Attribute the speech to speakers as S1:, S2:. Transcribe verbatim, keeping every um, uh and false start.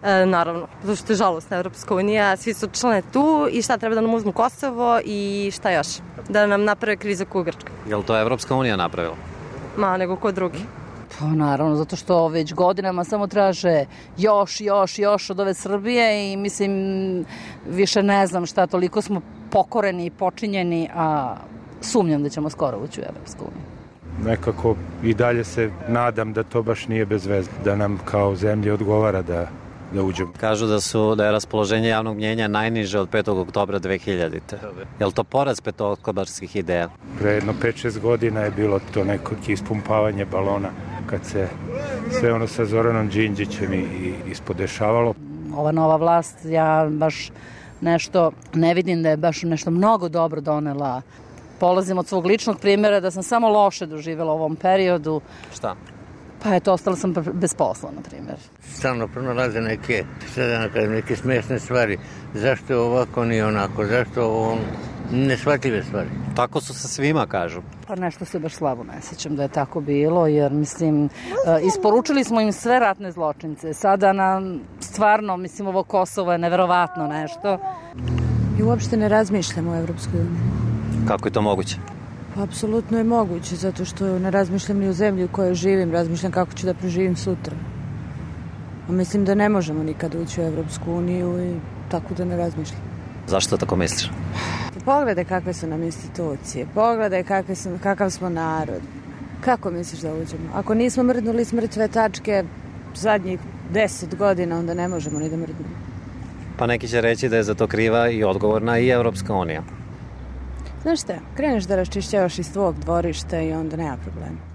S1: E, naravno, zato što je žalostna Evropska unija, svi su člane tu i šta treba da nam uzmu Kosovo i šta još? Da nam naprave krizu kao Grčka.
S2: Je li to Evropska unija napravila?
S1: Ma, nego ko drugi.
S3: Pa naravno, zato što već godinama samo traže još, još, još od ove Srbije i mislim, više ne znam šta, toliko smo pokoreni i počinjeni, a sumnjam da ćemo skoro ući u Evropsku uniju.
S4: Nekako i dalje se nadam da to baš nije bez veze, da nam kao zemlji odgovara da da uđemo.
S2: Kažu da su da je raspoloženje javnog mnjenja najniže od petog oktobra dve hiljadite. Je li to poraz petooktobarskih ideja?
S4: Pre jedno pet šest godina je bilo to neko ispumpavanje balona kad se sve ono sa Zoranom Đinđićem i ispodešavalo.
S3: Ova nova vlast, ja baš nešto ne vidim da je baš nešto mnogo dobro donela. Polazim od svog ličnog primjera da sam samo loše doživjela u ovom periodu.
S2: Šta?
S3: Pa eto, ostala sam bez posla, na primjer.
S5: Stalno pronalaze neke, sada neke smiješne stvari. Zašto je ovako, nije onako? Zašto ovo neshvatljive stvari?
S2: Tako su se svima, kažu.
S3: Pa nešto se baš slabo ne sjećam da je tako bilo, jer mislim, isporučili smo im sve ratne zločince. Sada nam stvarno, mislim, ovo Kosovo je neverovatno nešto.
S6: I uopšte ne razmišljamo o Evropskoj uniji.
S2: Kako je to moguće?
S6: Apsolutno je moguće, zato što ne razmišljam ni u zemlji u kojoj živim, razmišljam kako ću da preživim sutra. A mislim da ne možemo nikad ući u Evropsku uniju i tako da ne razmišljam.
S2: Zašto tako misliš?
S6: Pogledaj kakve su nam institucije, pogledaj kakve su, kakav smo narod. Kako misliš da uđemo? Ako nismo mrdnuli s mrtve tačke zadnjih deset godina, onda ne možemo ni da mrdnemo.
S2: Pa neki će reći da je za to kriva i odgovorna i Evropska unija.
S6: Znaš šta, kreneš da raščišćavaš iz tvog dvorišta i onda nema problema.